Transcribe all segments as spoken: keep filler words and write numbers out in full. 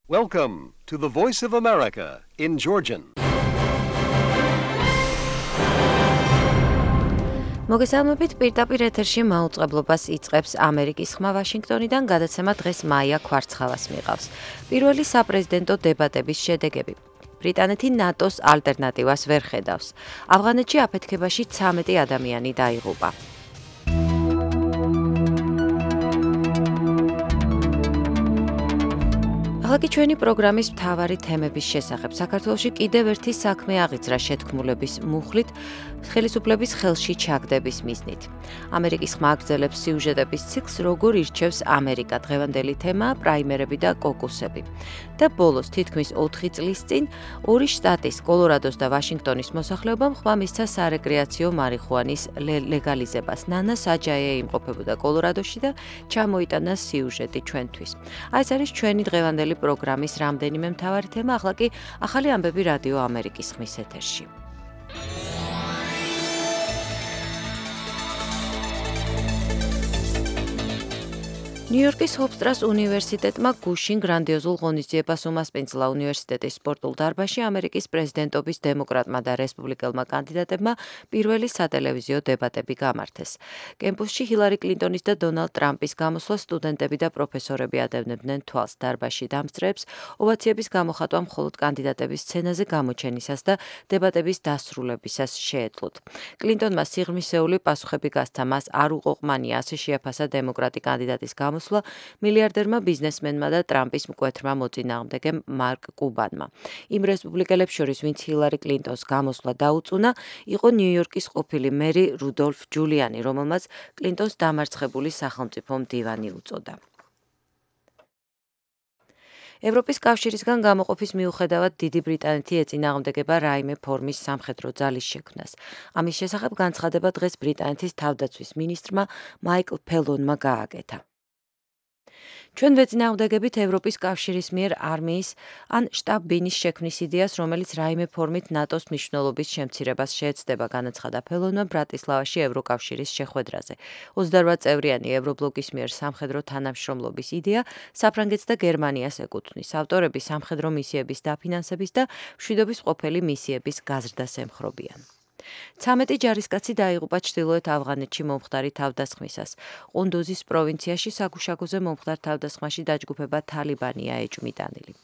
Welcome to the Voice of America in Georgian. მოგესალმებით, პირდაპირ ეთერში მაუწყებლობას იწყებს ამერიკის ხმა ვაშინგტონიდან, გადაცემა დღეს მაია ქვარცხალას მიყავს. პირველი საპრეზიდენტო დებატების შედეგები. ბრიტანეთი ნატოს ალტერნატივას ვერ ხედავს. ავღანეთში აფეთქებაში ცამეტი ადამიანი დაიღუპა. ახლა ჩვენი პროგრამის მთავარი თემების შესახებ. საქართველოში კიდევ ერთი საქმე აღიძრა შეთქმულების მუხლით, ხელისუფლების ხელში ჩაგდების მიზნით. ამერიკის ხმა აგრძელებს სიუჟეტების ციკლს, როგორ ირჩევს ამერიკა. დღევანდელი თემაა პრაიმერები და კოკუსები. და ბოლოს თითქმის ოთხი წლის წინ ორი შტატის, კოლორადოს და ვაშინგტონის მოსახლეობამ ხმა მისცა სარეკრეაციო მარიხუანის ლეგალიზებას. ნანა საჯაია იმყოფებოდა კოლორადოში და ჩამოიტანა სიუჟეტი ჩვენთვის. აი ეს არის ჩვენი დღევანდელი პროგრამის რამდენიმე მთავარი თემა, ახლა კი ახალი ამბები რადიო ამერიკის ხმის ეთერში. ნიუ-იორკის ჰოფსტრას უნივერსიტეტმა გუშინ გრანდიოზულ ღონისძიებას უმასპინძლა უნივერსიტეტის სპორტულ დარბაზში ამერიკის პრეზიდენტობის დემოკრატმა და რესპუბლიკელმა კანდიდატებმა პირველი სატელევიზიო დებატები გამართეს. კემპუსში ჰილარი კლინტონის და დონალდ ტრამპის გამოსვლა სტუდენტები და პროფესორები ადევნებდნენ თვალს. დარბაზში დამსწრეებს ოვაციების გამოხატვა მხოლოდ კანდიდატების სცენაზე გამოჩენისას და დებატების დასრულებისას შეეძლოთ. კლინტონმა სიღრმისეული პასუხები გასცა, მას არ უყოყმანია, ასე შეაფასა დემოკრატი კანდიდატის გამოსვლა მილიარდერმა ბიზნესმენმა და ტრამპის მკვეთრმა მოწინააღმდეგემ მარკ კუბანმა. იმ რესპუბლიკელებს შორის, ვინც ჰილარი კლინტონს გამოსვლა დაუწუნა, იყო ნიუ-იორკის ყოფილი მერი რუდოლფ ჯულიანი, რომელმაც კლინტონს დამარცხებული სახელმწიფო მდივანი უწოდა. ევროპის კავშირისგან გამოყოფის მიუხედავად დიდი ბრიტანეთი ეწინააღმდეგება რაიმე ფორმის სამხედრო ძალის შექმნას. ამის შესახებ განცხადება დღეს ბრიტანეთის თავდაცვის მინისტრმა მაიკლ ფელონმა გააკეთა. ჩვენ ვეწინააღმდეგებით ევროპის კავშირის მიერ არმიის ან შტაბ-ბინის შექმნის იდეას, რომელიც რაიმე ფორმით ნატოს მნიშვნელობის შემცირებას შეეცდება, განაცხადა ფელონმა ბრატისლავაში ევროკავშირის შეხვედრაზე. ოცდაორ წევრიანი ევრობლოკის მიერ სამხედრო თანამშრომლობის იდეა საფრანგეთს და გერმანიას ეკუთვნის. ავტორები სამხედრო მისიების დაფინანსების და მშვიდობის ყოფილი მისიების გაზრდას ემხრობიან. ცამეტი ჯარისკაცი დაიღუპა ჩრდილოეთ ავღანეთში მომხდარი თავდასხმისას. ყუნდუზის პროვინციაში საგუშაგოზე მომხდარ თავდასხმაში დაჯგუფება თალიბანია ეჭვმიტანილი.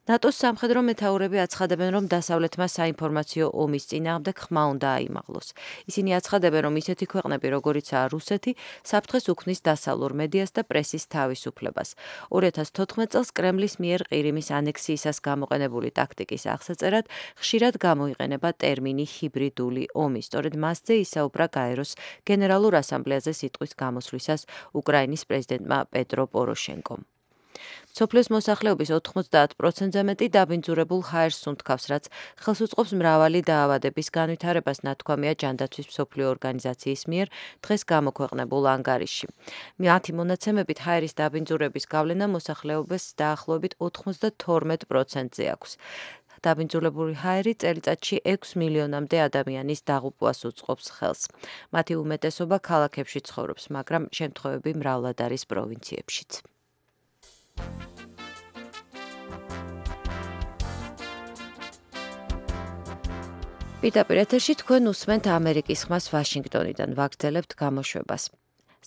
ნატოს სამხედრო მეთაურები აცხადებენ, რომ დასავლეთმა საინფორმაციო ომის წინააღმდეგ ხმა უნდა აიმაღლოს. ისინი აცხადებენ, რომ ისეთი ქვეყნები, როგორიცაა რუსეთი, საფრთხეს უქმნის დასავლურ მედიას და პრესის თავისუფლებას. ორი ათას თოთხმეტ წელს კრემლის მიერ ყირიმის ანექსიისას გამოყენებული ტაქტიკის აღსაწერად ხშირად გამოიყენება ტერმინი ჰიბრიდული ომი. სწორედ მასზე ისაუბრა გაეროს გენერალურ ასამბლეაზე სიტყვის გამოსვლისას უკრაინის პრეზიდენტმა პეტრო პოროშენკომ. მსოფლიოს მოსახლეობის ოთხმოცდაათ პროცენტზე მეტი დაბინძურებულ ჰაერს უნთქავს, რაც ხელს უწყობს მრავალი დაავადების განვითარებას, ნათქვამია ჯანდაცვის მსოფლიო ორგანიზაციის მიერ დღეს გამოქვეყნებულ ანგარიშში. მათი მონაცემებით ჰაერის დაბინძურების გავლენა მოსახლეობას დაახლოებით ოთხმოცდათორმეტ პროცენტზე აქვს. დაბინძურებული ჰაერი წელიწადში ექვს მილიონამდე ადამიანის დაღუპვას უწყობს ხელს. მათი უმეტესობა ქალაქებში ცხოვრობს, მაგრამ შემთხვევები მრავლად არის პროვინციებშიც. პირდაპირ ეთერში თქვენ უსმენთ ამერიკის ხმას ვაშინგტონიდან, ვაგრძელებთ გამოშვებას.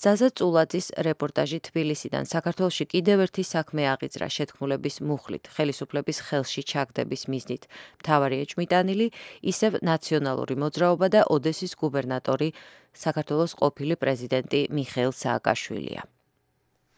ზაზა წულაძის რეპორტაჟი თბილისიდან. საქართველოში კიდევ ერთი საქმე აღიძრა შეთქმულების მუხლით, ხელისუფლების ხელში ჩაგდების მიზნით. მთავარი ეჭვმიტანილი ისევ ნაციონალური მოძრაობა და ოდესის გუბერნატორი, საქართველოს ყოფილი პრეზიდენტი მიხეილ სააკაშვილია.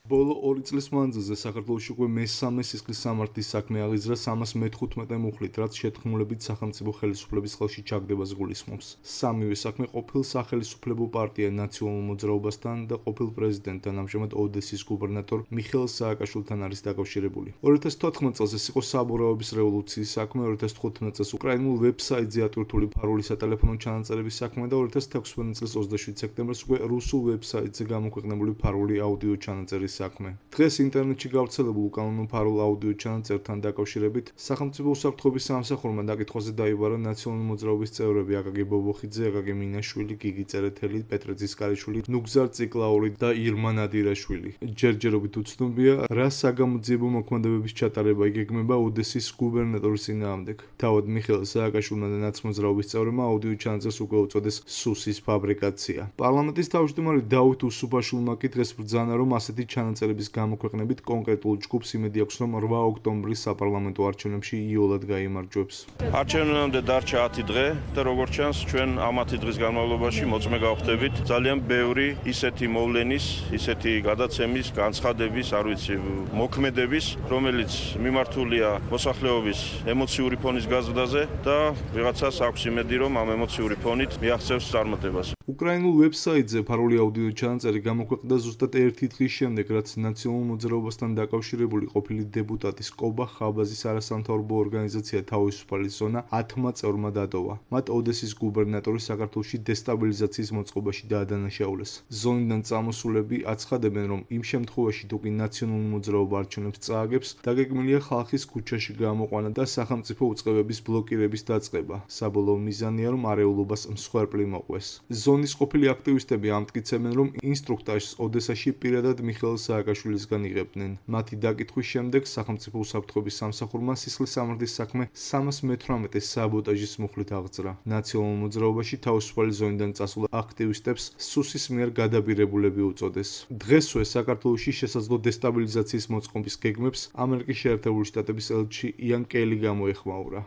ბოლო ორი წლის მანძილზე საქართველოში უკვე მესამე სისხლის სამართლის საქმე აღიძრა სამას მეთხუთმეტე მუხლით, რაც შეთქმულებით სახელმწიფო ხელისუფლების ხელში ჩაგდებას გულისხმობს. სამივე საქმე ყოფილ სახელისუფლებო პარტია ნაციონალურ მოძრაობასთან და ყოფილ პრეზიდენტთან, ამჟამად ოდესის გუბერნატორ მიხეილ სააკაშვილთან არის დაკავშირებული. ორი ათას თოთხმეტ წელს ეს იყო საბურავების რევოლუციის საქმე, ორი ათას თხუთმეტ წელს უკრაინულ ვებსაიტზე ატვირთული ფარული სატელეფონო ჩანაწერების საქმე და ორი ათას თექვსმეტ წელს ოცდაშვიდ სექტემბერს უკვე რუსულ ვებსაიტზე გამოქვეყნებული ფარული აუდიო ჩანაწერის საქმე. დღეს ინტერნეტში გავრცელებულ უკანონმდებლო აუდიო ჩანაწერთან დაკავშირებით სახელმწიფო უსაფრთხოების სამსახურმა დაკითხვაზე დაიბარა ნაციონალური მოძრაობის წევრები აკაკი ბობოხიძე, აკაკი მინაშვილი, გიგი წერეთელი, პეტრე ძისკარიშვილი, ნუგზარ ციკლაური და ირმა ნადირაშვილი. ჯერჯერობით უცნობია, რა საგამოძიებო მოქმედებების ჩატარება იგეგმება ოდესის გუბერნატორის წინააღმდეგ. თავად მიხეილ სააკაშვილმა და ნაცმოძრაობის წევრებმა აუდიო ჩანაწერს უკვე უწოდეს სუსის ფაბრიკაცია. პარლამენტის თავმჯდომარე დავით უსუფაშვილმა კი დღეს ბრძანა, რომ ასეთი ჩანაწერების გამოქვეყნებით კონკრეტულ ჯგუფს იმედი აქვს, რომ რვა ოქტომბრის საპარლამენტო არჩევნებში იოლად გაიმარჯვებს. არჩევნებამდე დარჩა ათი დღე და როგორც ჩანს, ჩვენ ამ ათი დღის განმავლობაში მოწმე გავხდებით ძალიან ბევრი ისეთი მოვლენის, ისეთი გადაცემის, განცხადების, არ ვიცი, მოქმედების, რომელიც მიმართულია მოსახლეობის ემოციური ფონის გაზრდაზე და ვიღაცას აქვს იმედი, რომ ამ ემოციური ფონით მიაღწევს წარმატებას. უკრაინულ ვებსაიტზე ფარული აუდიო ჩანაწერი გამოქვეყნდა ზუსტად ერთი დღის შემდეგ, რაც ნაციონალურ მოძრაობასთან დაკავშირებული ყოფილი დეპუტატის კობა ხაბაზის არასამთავრობო ორგანიზაცია თავისუფალი ზონა ათმა წევრმა დატოვა. მათ ოდესის გუბერნატორი საქართველოში დესტაბილიზაციის მოწყობაში დაადანაშაულეს. ზონიდან წამოსულები აცხადებენ, რომ იმ შემთხვევაში, თუ კი ნაციონალური მოძრაობა არჩევნებს წააგებს, დაგეგმილია ხალხის ქუჩაში გამოყვანა და სახელმწიფო უწყებების ბლოკირების დაწყება. საბოლოო მიზანია, რომ არეულობას მსხვერპლი მოყვეს. ზონის ყოფილი აქტივისტები ამტკიცებენ, რომ ინსტრუქტაჟს ოდესაში პირადად მიხეილ სააკაშვილისგან იღებდნენ. მათი დაკითხვის შემდეგ სახელმწიფო უსაფრთხოების სამსახურმა სისხლისამართლის საქმე სამას მეთვრამეტე საბოტაჟის მუხლით აღძრა. ნაციონალურ მოძრაობაში თავისუფალი ზონიდან წასულ აქტივისტებს სუსის მიერ გადაბირებულები უწოდეს. დღესვე საქართველოში შესაძლო დესტაბილიზაციის მოწყობის გეგმებს ამერიკის შეერთებული შტატების ელჩი იან კელი გამოეხმაურა.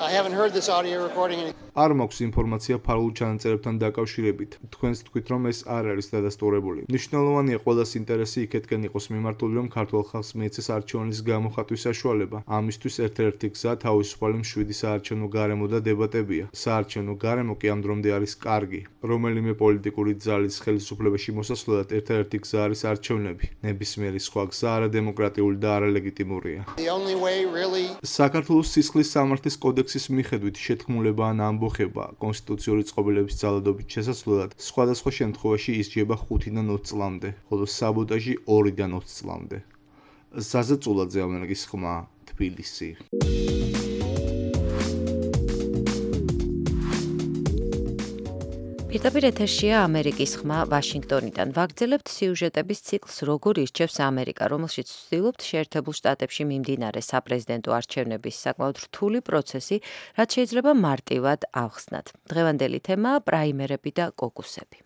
I haven't heard this audio recording. არ მაქვს ინფორმაცია ფარულ ჩანაწერებთან დაკავშირებით. თქვენს თქვით, რომ ეს არ არის დადასტურებული. მნიშვნელოვანია ყველას ინტერესი იქეთკენ იყოს მიმართული, რომ ქართულ ხალხს მიეცეს არჩევნების გამოხატვის საშუალება. ამისთვის ერთ-ერთი გზა თავისუფალი მშვიდი საარჩევნო გარემო და დებატებია. საარჩევნო გარემო კი ამ დრომდე არის კარგი. რომელიმე პოლიტიკური ძალის ხელისუფლებაში მოსასვლელად ერთ-ერთი გზა არის არჩევნები. ნებისმიერი სხვა გზა არადემოკრატიული და არალეგიტიმურია. The only way really საქართველოს სისხლის სამართლის კოდექსის მიხედვით შეთქმულება ან ამბოხება კონსტიტუციური წყობილების ძალადობით შესაძლებლად სხვადასხვა შემთხვევაში ისჯება ხუთიდან ოცი წლამდე, ხოლო საბოტაჟი ორიდან ოცი წლამდე. ზაზა წულაძე, ამერიკის ხმა, თბილისი. პირდაპირ ეთერშია ამერიკის ხმა ვაშინგტონიდან. ვაგრძელებთ სიუჟეტების ციკლს როგორ ირჩევს ამერიკა, რომელშიც ვცდილობთ შეერთებულ შტატებში მიმდინარე საპრეზიდენტო არჩევნების საკმაოდ რთული პროცესი, რაც შეიძლება მარტივად ავხსნათ. დღევანდელი თემაა პრაიმერები და კოკუსები.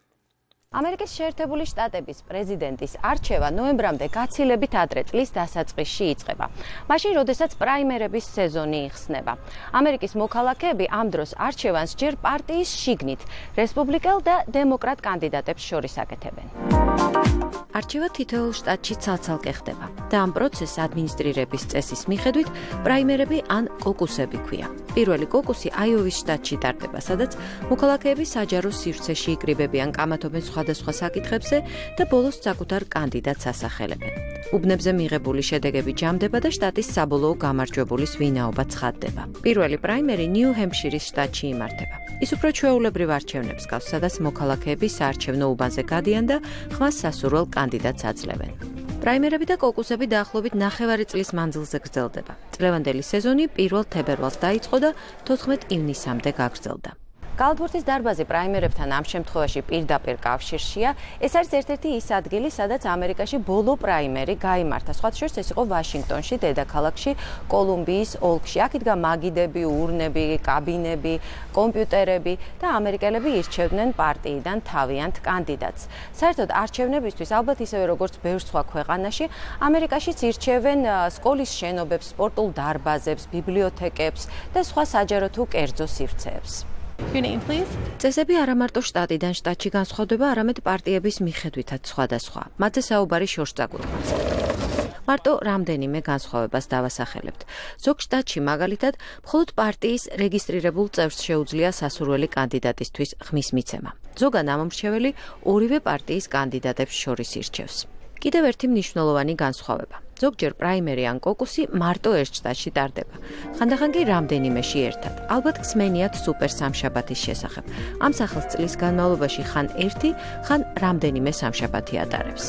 ამერიკის შეერთებული შტატების პრეზიდენტის არჩევა ნოემბრამდე გაცილებით ადრე წლის დასაწყისში იწყება. მაშინ, როდესაც პრაიმერების სეზონი იხსნება. ამერიკის მოქალაქეები ამ დროს არჩევანს ჯერ პარტიის შიგნით, რესპუბლიკელ და დემოკრატ კანდიდატებს შორის აკეთებენ. არჩევა თითოეულ შტატში ცალ-ცალკე ხდება და ამ პროცესს ადმინისტრირების წესის მიხედვით პრაიმერები ან კოკუსები ქვია. პირველი კოკუსი აიოვის შტატში ტარდება, სადაც მოქალაქეები საჯარო სივრცეში იკრიბებიან, კამათობენ სხვადასხვა საკითხებზე და ბოლოს საკუთარ კანდიდატს ასახელებენ. უბნებზე მიღებული შედეგები ჯამდება და შტატის საბოლოო გამარჯვებულის ვინაობა ცხადდება. პირველი პრაიმერი ნიუ-ჰემპშირის შტატში იმართება. ის უფრო ჩვეულებრივ არჩევნებს გავს, სადაც მოქალაქეები საარჩევნო უბანზე გადიან და ხმას სასურველ კანდიდატს აძლევენ. პრაიმერები და კოკუსები დაახლოებით ნახევარი წლის მანძილზე გრძელდება. წლევანდელი სეზონი პირველ თებერვალს დაიწყო და თოთხმეტ ივნისამდე გაგრძელდა. კალათბურთის დარბაზი პრაიმერებთან ამ შემთხვევაში პირდაპირ კავშირშია. ეს არის ერთ-ერთი ის ადგილი, სადაც ამერიკაში ბოლო პრაიმერი გაიმართა. სხვათა შორის ეს იყო ვაშინგტონში, დედაქალაქში, კოლუმბიის ოლქში. აქ იდგა მაგიდები, ურნები, კაბინები, კომპიუტერები და ამერიკელები ირჩევდნენ პარტიიდან თავიანთ კანდიდატს. საერთოდ არჩევნებისთვის, ალბათ ისევე როგორც ბევრ სხვა ქვეყანაში, ამერიკაშიც ირჩევენ სკოლის შენობებს, სპორტულ დარბაზებს, ბიბლიოთეკებს და სხვა საჯარო თუ კერძო სივრცეებს. Your name, please. წესები არა მარტო შტატიდან შტატში განსხვავდება, არამედ პარტიების მიხედვითაც სხვადასხვა. მათზე საუბარი შორს წაგვიყვანს. მარტო რამდენიმე განსხვავებას დავასახელებთ. ზოგ შტატში მაგალითად, მხოლოდ პარტიის რეგისტრირებულ წევრს შეუძლია სასურველი კანდიდატისთვის ხმის მიცემა. ზოგან ამომრჩეველი ორივე პარტიის კანდიდატებს შორის ირჩევს. კიდევ ერთი მნიშვნელოვანი განსხვავება. ზოგჯერ პრაიმერი ან კოკუსი მარტო ერთ შტატში ტარდება. ხანდახან კი რამდენიმეში ერთად. ალბათ გსმენიათ სუპერ სამშაბათის შესახებ. ამ სახელს წლის განმავლობაში ხან ერთი, ხან რამდენიმე სამშაბათი ატარებს.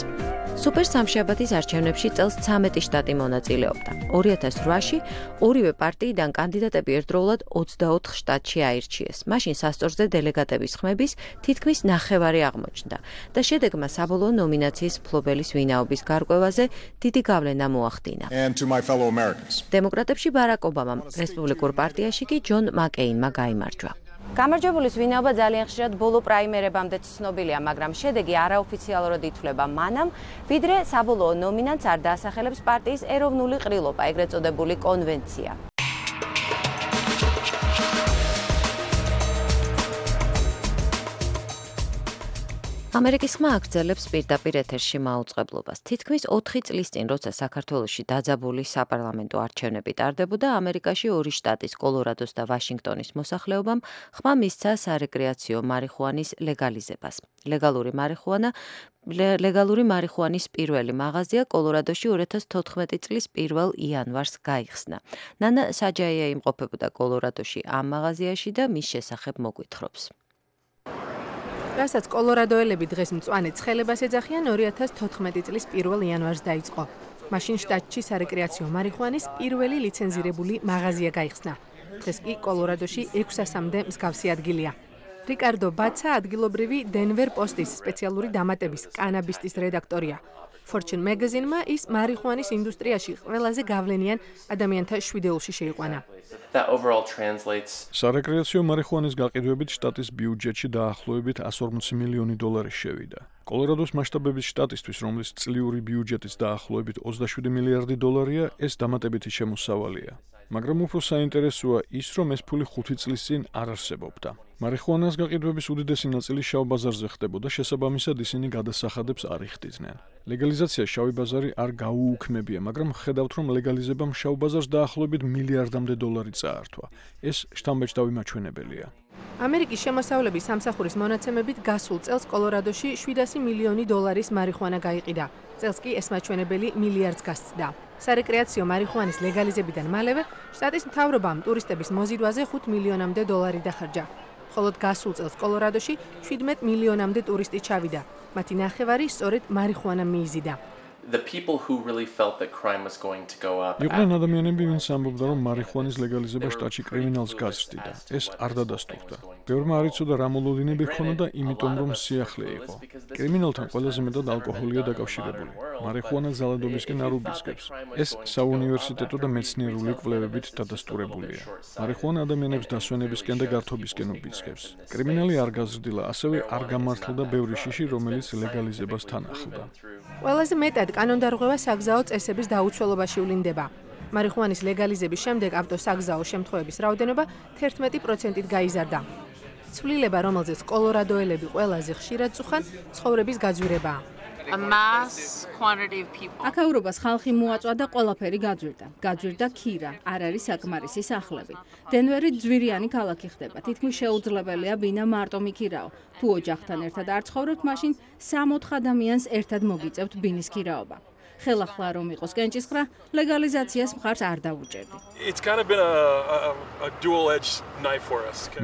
სუპერ სამშაბათის არჩევნებში წელს ცამეტი შტატი მონაწილეობდა. ორი ათას რვაში ორივე პარტიიდან კანდიდატები ერთდროულად ოცდაოთხ შტატში აირჩიეს. მაშინ სასწორზე დელეგატების ხმების თითქმის ნახევარი აღმოჩნდა და შედეგმა საბოლოო ნომინაციის მფლობელის ვინაობის გარკვევაზე დიდი გავლენა მოახდინა. დემოკრატებში ბარაკ ობამამ, რესპუბლიკურ პარტიაში კი ჯონ მაკეინმა გაიმარჯვა. გამარჯვებულის ვინაობა ძალიან ხშირად ბოლო პრაიმერებამდე ცნობილია, მაგრამ შედეგი არაოფიციალურად ითვლება მანამ, ვიდრე საბოლოო ნომინანტს არ დაასახელებს პარტიის ეროვნული ყრილობა, ეგრეთ წოდებული კონვენცია. ამერიკის ხმა აგრძელებს პირდაპირ ეთერში მაუწყებლობას. თითქმის ოთხი წლის წინ, როცა საქართველოში დაძაბული საპარლამენტო არჩევნები ტარდებოდა, ამერიკაში ორი შტატის, კოლორადოს და ვაშინგტონის მოსახლეობამ ხმა მისცა სარეკრეაციო მარიხუანის ლეგალიზებას. ლეგალური მარიხუანა ლეგალური მარიხუანის პირველი მაღაზია კოლორადოში ორი ათას თოთხმეტი წლის პირველ იანვარს გაიხსნა. ნანა საჯაია იმყოფებოდა კოლორადოში ამ მაღაზიაში და მის შესახებ მოგვითხრობს. რასაც კოლორადოელები დღეს მწვანე ცხელებას ეძახიან, ორი ათას თოთხმეტი წლის პირველ იანვარს დაიწყო. მაშინ შტატში სარეკრეაციო მარიხუანის პირველი ლიცენზირებული მაღაზია გაიხსნა. დღეს კი კოლორადოში ექვსასამდე მსგავსი ადგილია. რიკარდო ბაცა ადგილობრივი დენვერ პოსტის სპეციალური დამატების კანაბისტის რედაქტორია. Fortune Magazine-მა ის მარიხუანის ინდუსტრიაში ყველაზე გავლენიან ადამიანთა შვიდეულში შეიყვანა. სარეკრეაციო მარიხუანის გაყიდვებით შტატის ბიუჯეტში დაახლოებით εκατს ორმოცი მილიონი დოლარი შევიდა. კოლორადოს მასშტაბების შტატისთვის, რომლის წლიური ბიუჯეტიც დაახლოებით ოცდაშვიდი მილიარდი დოლარია, ეს დამატებითი შემოსავალია. მაგრამ უფრო საინტერესოა ის, რომ ეს ფული ხუთი წლის წინ არ არსებობდა. მარიხუანას გაყიდვების უდიდესი ნაწილი შავ ბაზარზე ხდებოდა, შესაბამისად ისინი გადასახადებს არ იხდიდნენ. ლეგალიზაცია შავი ბაზარი არ გაუუქმებია, მაგრამ ხედავთ, რომ ლეგალიზებამ შავ ბაზარს დაახლოებით მილიარდამდე დოლარი წაართვა. ეს შთამბეჭდავი მაჩვენებელია. ამერიკის შემოსავლების სამსახურის მონაცემებით გასულ წელს კოლორადოში შვიდასი მილიონი დოლარის მარიხუანა გაიყიდა. წელს კი ეს მაჩვენებელი მილიარდს გასცდა. სარეკრეაციო მარიხუანის ლეგალიზებიდან მალევე შტატის მთავრობამ ტურისტების მოზიდვაზე ხუთ მილიონამდე დოლარი დახარჯა. ხოლო გასულ წელს კოლორადოში შვიდმეტ მილიონამდე ტურისტი ჩავიდა. მათი ნახევარი სწორედ მარიხუანამ მიიზიდა. იყვნენ ადამიანები, ვინც ამბობდა, რომ მარიხუანის ლეგალიზება შტატში კრიმინალს გაზრდიდა. ეს არ დადასტურდა. ბევრმა არ იცოდა რა მოლოდინები ჰქონოდა, იმიტომ რომ სიახლე იყო. კრიმინალთან ყველაზე მეტად ალკოჰოლია დაკავშირებული. მარიხუანა ძალადობისკენ არ უბიძგებს. ეს საუნივერსიტეტო და მეცნიერული კვლევებით დადასტურებულია. მარიხუანა ადამიანებს დასვენებისკენ და გართობისკენ უბიძგებს. კრიმინალი არ გაზრდილა, ასევე არ გამართლდა ბევრი შიში, რომელიც ლეგალიზებას თან ახლდა. ყველაზე მეტად კანონდარღვევა საგზაო წესების დაუცველობაში ვლინდება. მარიხუანის ლეგალიზების შემდეგ ავტოსაგზაო შემთხვევების რაოდენობა თერთმეტი პროცენტით გაიზარდა. ცვლილება, რომელზეც კოლორადოელები ყველაზე ხშირად წუხან, ცხოვრების გაძვირებაა. აქაურობას ხალხი მოაწვა და ყველაფერი გაძვირდა. გაძვირდა ქირა, არ არის საკმარისი სახლები. დენვერი ძვირიანი ქალაქი ხდება. თითქმის შეუძლებელია ბინა მარტო მიქირაო. თუ ოჯახთან ერთად არ ცხოვრობთ, მაშინ სამოთხ ადამიანს ერთად მოგიწევთ ბინის ქირაობა. ხელახლა რომ იყოს კენჭისყრა, ლეგალიზაციას მხარს არ დავუჭერდი.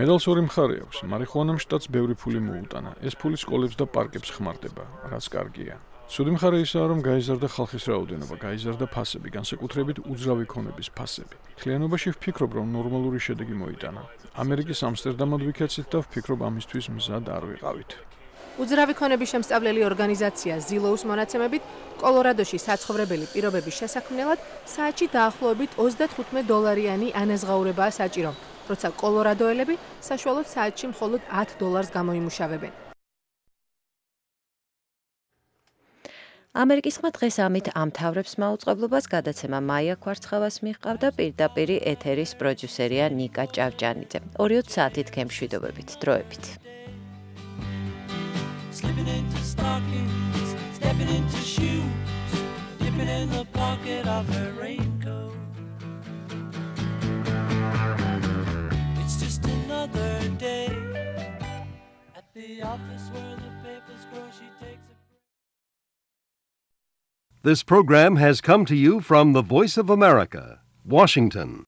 მედალს ორი მხარე აქვს. მარიხუანამ შტატს ბევრი ფული მოუტანა. ეს ფული სკოლებს და პარკებს ხმარდება, რაც კარგია. ცუდი მხარე ისაა, რომ გაიზარდა ხალხის რაოდენობა, გაიზარდა ფასები, განსაკუთრებით უძრავი ქონების ფასები. მთლიანობაში ვფიქრობ, რომ ნორმალური შედეგი მოიტანა. ამერიკის ამსტერდამად ვიქეცით და ვფიქრობ, ამისთვის მზად არ ვიყავით. უძრავი ქონების შემსწავლელი ორგანიზაცია ზილოუს მონაცემებით, კოლორადოში საცხოვრებელი პირობების შესაქმნელად საათში დაახლოებით ოცდათხუთმეტ დოლარიანი ანაზღაურებაა საჭირო, როცა კოლორადოელები საშუალოდ საათში მხოლოდ ათ დოლარს გამოიმუშავებენ. ამერიკის ხმა დღეს ამით ამთავრებს მაუწყებლობას, გადაცემა მაია ქვარცხავას მიჰყავდა, პირდაპირ ეთერის პროდიუსერია ნიკა ჭავჭანიძე. ორი ოცი საათით გემშვიდობებით, დროებით. Slipping into stockings, stepping into shoes, dipping in the pocket of her raincoat. It's just another day at the office where the papers grow. She takes a This program has come to you from the Voice of America, Washington.